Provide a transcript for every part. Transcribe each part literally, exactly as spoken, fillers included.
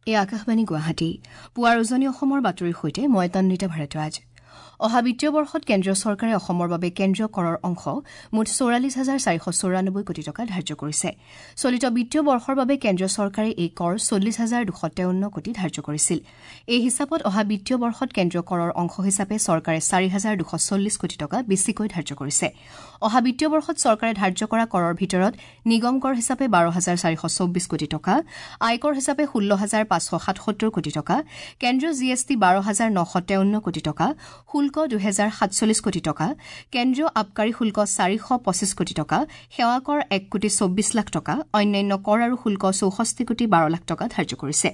এই আকাশবাণী গুৱাহাটী পুৱাৰ উজনি অসমৰ বাতৰিৰ সৈতে মই তন্বিতা ভাৰদ্বাজ। অহা বিত্তীয় বৰ্ষত কেন্দ্ৰীয় চৰকাৰে অসমৰ বাবে কেন্দ্ৰীয় কৰৰ অংশ মুঠ চৌৰাল্লিছ হাজাৰ চাৰিশ চৌৰানব্বৈ কোটি টকা ধাৰ্য কৰিছে। চলিত বিত্তীয় বৰ্ষৰ বাবে কেন্দ্ৰীয় চৰকাৰে এই কৰ চল্লিছ হাজাৰ দুশ তেৱন্ন কোটি ধাৰ্য কৰিছিল। এই হিচাপত অহা বিত্তীয় বৰ্ষত কেন্দ্ৰীয় কৰৰ অংশ হিচাপে চৰকাৰে চাৰি হাজাৰ দুশ চল্লিছ কোটি টকা বেছিকৈ ধাৰ্য কৰিছে। অহা বিত্তীয় বৰ্ষত চৰকাৰে ধাৰ্য কৰা কৰৰ ভিতৰত নিগম কৰ হিচাপে বাৰ হাজাৰ চাৰিশ চৌব্বিছ কোটি টকা, আয়কৰ হিচাপে ষোল্ল হাজাৰ পাঁচশ সাতসত্তৰ কোটি টকা, কেন্দ্ৰীয় জি এছ টি বাৰ হাজাৰ নশ তেৱন্ন কোটি টকা, শুল্ক দুহেজাৰ সাতচল্লিছ কোটি টকা, কেন্দ্ৰীয় আবকাৰী শুল্ক চাৰিশ পঁচিছ কোটি টকা, সেৱা কৰ এক কোটি চৌব্বিছ লাখ টকা, অন্যান্য কৰ আৰু শুল্ক চৌষষ্ঠি কোটি বাৰ লাখ টকা ধাৰ্য কৰিছে।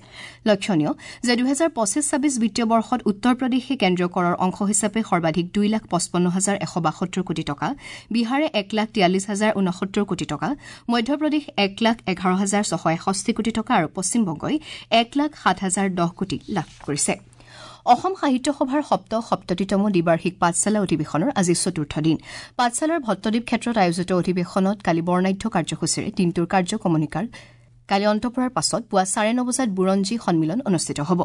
লক্ষণীয় যে দুহেজাৰ পঁচিছ ছাব্বিছ বিত্তীয় বৰ্ষত উত্তৰ প্ৰদেশে কেন্দ্ৰীয় কৰৰ অংশ হিচাপে সৰ্বাধিক দুই লাখ পঁচপন্ন হাজাৰ এশ বাসত্তৰ কোটি টকা, বিহাৰে এক লাখ তিয়াল্লিছ হাজাৰ ঊনসত্তৰ কোটি টকা, মধ্যপ্ৰদেশ এক লাখ এঘাৰ হাজাৰ ছশ এষষ্ঠি কোটি টকা আৰু পশ্চিমবংগই এক লাখ সাত হাজাৰ দহ কোটি লাভ কৰিছে। অসম সাহিত্য সভাৰ সপ্ত সপ্ততিতম দ্বিবাৰ্ষিক পাঠশালা অধিৱেশনৰ আজি চতুৰ্থ দিন। পাঠশালাৰ ভট্টদ্বীপ ক্ষেত্ৰত আয়োজিত অধিৱেশনত কালি বৰ্ণাঢ্য কাৰ্যসূচীৰে দিনটোৰ কাৰ্যকমনিকাৰ কালি অন্ত পৰাৰ পাছত পুৱা চাৰে ন বজাত বুৰঞ্জী সন্মিলন অনুষ্ঠিত হ'ব।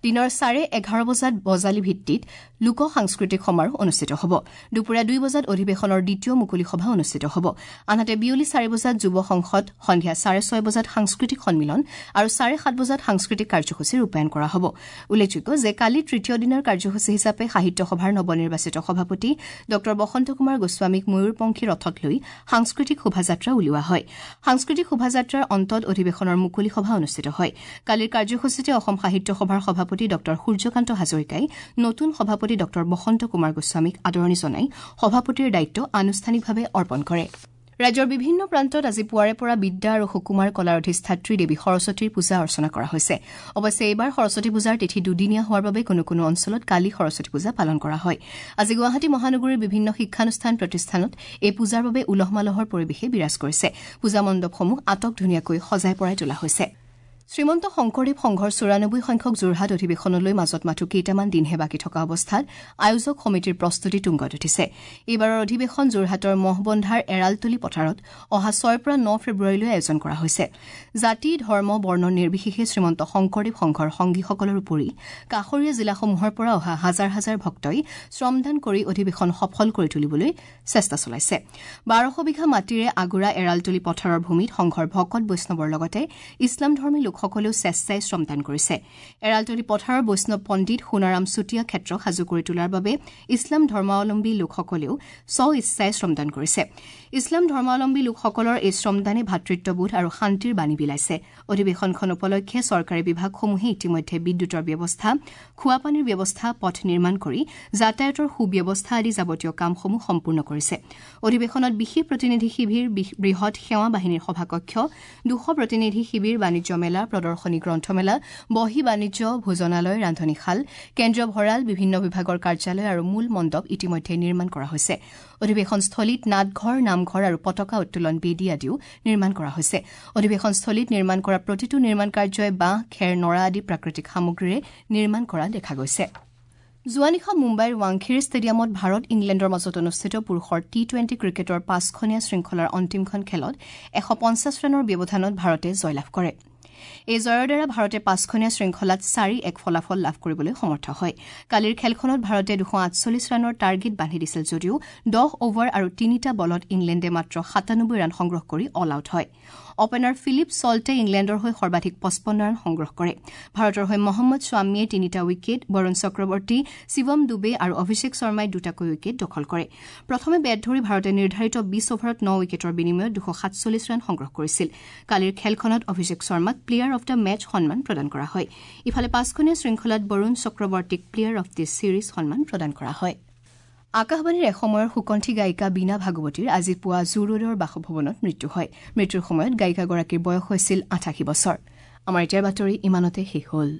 দিনৰ চাৰে এঘাৰ বজাত বজালী ভিত্তিত লোক সাংস্কৃতিক সমাৰোহ অনুষ্ঠিত হ'ব। দুপৰীয়া দুই বজাত অধিৱেশনৰ দ্বিতীয় মুকলি সভা অনুষ্ঠিত হ'ব। আনহাতে বিয়লি চাৰি বজাত যুৱ সংসদ, সন্ধিয়া চাৰে ছয় বজাত সাংস্কৃতিক সন্মিলন আৰু চাৰে সাত বজাত সাংস্কৃতিক কাৰ্যসূচী ৰূপায়ণ কৰা হ'ব। উল্লেখযোগ্য যে কালি তৃতীয় দিনৰ কাৰ্যসূচী হিচাপে সাহিত্য সভাৰ নৱনিৰ্বাচিত সভাপতি ডঃ বসন্ত কুমাৰ গোস্বামীক ময়ূৰপংখী ৰথত লৈ সাংস্কৃতিক শোভাযাত্ৰা উলিওৱা হয়। সাংস্কৃতিক শোভাযাত্ৰাৰ অন্তত অধিৱেশনৰ মুকলি সভা অনুষ্ঠিত হয়। কালিৰ কাৰ্যসূচীতে অসম সাহিত্য সভাৰ সভাপতি ডঃ সূৰ্যকান্ত হাজৰিকাই নতুন সভাপতি ডঃ বসন্ত কুমাৰ গোস্বামীক আদৰণি জনাই সভাপতিৰ দায়িত্ব আনুষ্ঠানিকভাৱে অৰ্পণ কৰে। ৰাজ্যৰ বিভিন্ন প্ৰান্তত আজি পুৱাৰে পৰা বিদ্যা আৰু সুকুমাৰ কলাৰ অধিষ্ঠাত্ৰী দেৱী সৰস্বতীৰ পূজা অৰ্চনা কৰা হৈছে। অৱশ্যে এইবাৰ সৰস্বতী পূজাৰ তিথি দুদিনীয়া হোৱাৰ বাবে কোনো কোনো অঞ্চলত কালি সৰস্বতী পূজা পালন কৰা হয়। আজি গুৱাহাটী মহানগৰীৰ বিভিন্ন শিক্ষানুষ্ঠান প্ৰতিষ্ঠানত এই পূজাৰ বাবে উলহ মালহৰ পৰিৱেশে বিৰাজ কৰিছে। পূজা মণ্ডপসমূহ আটক ধুনীয়াকৈ সজাই পৰাই তোলা হৈছে। শ্ৰীমন্ত শংকৰদেৱ সংঘৰ চৌৰানব্বৈ সংখ্যক যোৰহাট অধিৱেশনলৈ মাজত মাথো কেইটামান দিনহে বাকী থকা অৱস্থাত আয়োজক সমিতিৰ প্ৰস্তুতি তুংগত উঠিছে। এইবাৰৰ অধিৱেশন যোৰহাটৰ মহবন্ধাৰ এৰালতলী পথাৰত অহা ছয়ৰ পৰা ন ফেব্ৰুৱাৰীলৈ আয়োজন কৰা হৈছে। জাতি, ধৰ্ম, বৰ্ণ নিৰ্বিশেষে শ্ৰীমন্ত শংকৰদেৱ সংঘৰ সংগীসকলৰ উপৰি কাষৰীয়া জিলাসমূহৰ পৰা অহা হাজাৰ হাজাৰ ভক্তই শ্ৰমদান কৰি অধিৱেশন সফল কৰি তুলিবলৈ চেষ্টা চলাইছে। বাৰশ বিঘা মাটিৰে আগুৰা এৰালতলী পথাৰৰ ভূমিত সংঘৰ ভকত বৈষ্ণৱৰ লগতে ইছলাম ধৰ্মী লোকসকলেও স্বেচ্ছাই শ্ৰমদান কৰিছে। এৰালতলী পথাৰৰ বৈষ্ণৱ পণ্ডিত সোণাৰাম চুতীয়া ক্ষেত্ৰ সাজু কৰি তোলাৰ বাবে ইছলাম ধৰ্মাৱলম্বী লোকসকলেও স্ব ইচ্ছাই শ্ৰমদান কৰিছে। ইছলাম ধৰ্মাৱলম্বী লোকসকলৰ এই শ্ৰমদানে ভাতৃত্ববোধ আৰু শান্তিৰ বাণী বিলাইছে। অধিৱেশনখন উপলক্ষে চৰকাৰী বিভাগসমূহে ইতিমধ্যে বিদ্যুতৰ ব্যৱস্থা, খোৱাপানীৰ ব্যৱস্থা, পথ নিৰ্মাণ কৰি যাতায়াতৰ সুব্যৱস্থা আদি যাৱতীয় কামসমূহ সম্পূৰ্ণ কৰিছে। অধিৱেশনত বিশেষ প্ৰতিনিধি শিবিৰ, বৃহৎ সেৱা বাহিনীৰ সভাকক্ষ, দুশ প্ৰতিনিধি শিবিৰ, বাণিজ্য মেলা, প্ৰদৰ্শনী গ্ৰন্থমেলা, বহী বাণিজ্য, ভোজনালয়, ৰান্ধনীশাল, কেন্দ্ৰীয় ভঁৰাল, বিভিন্ন বিভাগৰ কাৰ্যালয় আৰু মূল মণ্ডপ ইতিমধ্যে নিৰ্মাণ কৰা হৈছে। অধিৱেশনস্থলীত নাটঘৰ, নামঘৰ আৰু পতাকা উত্তোলন বেদী আদিও নিৰ্মাণ কৰা হৈছে। অধিৱেশনস্থলীত নিৰ্মাণ কৰা প্ৰতিটো নিৰ্মাণ কাৰ্যই বাঁহ, খেৰ, নৰা আদি প্ৰাকৃতিক সামগ্ৰীৰে নিৰ্মাণ কৰা দেখা গৈছে। যোৱা নিশা মুম্বাইৰ ৱাংখেড়ে ষ্টেডিয়ামত ভাৰত ইংলেণ্ডৰ মাজত অনুষ্ঠিত পুৰুষৰ টি টুৱেণ্টি ক্ৰিকেটৰ পাঁচখনীয়া শৃংখলাৰ অন্তিমখন খেলত এশ পঞ্চাছ ৰানৰ ব্যৱধানত ভাৰতে জয়লাভ কৰে। এই জয়ৰ দ্বাৰা ভাৰতে পাঁচখনীয়া শৃংখলাত চাৰি এক ফলাফল লাভ কৰিবলৈ সমৰ্থ হয়। কালিৰ খেলখনত ভাৰতে দুশ আঠচল্লিছ ৰানৰ টাৰ্গেট বান্ধি দিছিল যদিও দহ অভাৰ আৰু তিনিটা বলত ইংলেণ্ডে মাত্ৰ সাতানব্বৈ ৰান সংগ্ৰহ কৰি অল আউট হয়। অপেনাৰ ফিলিপ ছল্টে ইংলেণ্ডৰ হৈ সৰ্বাধিক পঁচপন্ন ৰান সংগ্ৰহ কৰে। ভাৰতৰ হৈ মহম্মদ শ্বামীয়ে তিনিটা উইকেট, বৰুণ চক্ৰৱৰ্তী, শিৱম ডুবে আৰু অভিষেক শৰ্মাই দুটাকৈ উইকেট দখল কৰে। প্ৰথমে বেট ধৰি ভাৰতে নিৰ্ধাৰিত বিশ অভাৰত ন উইকেটৰ বিনিময়ত দুশ সাতচল্লিছ ৰান সংগ্ৰহ কৰিছিল। কালিৰ খেলখনত অভিষেক শৰ্মাক প্লেয়াৰ অব the match সন্মান প্ৰদান কৰা হয়। ইফালে পাঁচখনীয়া শৃংখলাত বৰুণ চক্ৰৱৰ্তীক প্লেয়াৰ অব the series সন্মান প্ৰদান কৰা হয়। আকাশবাণীৰ এসময়ৰ সুকণ্ঠী গায়িকা বীণা ভাগৱতীৰ আজি পুৱা জু ৰোডৰ বাসভৱনত মৃত্যু হয়। মৃত্যুৰ সময়ত গায়িকাগৰাকীৰ বয়স হৈছিল আঠাশী বছৰ। আমাৰ এতিয়াৰ বাতৰি ইমানতে শেষ হ'ল।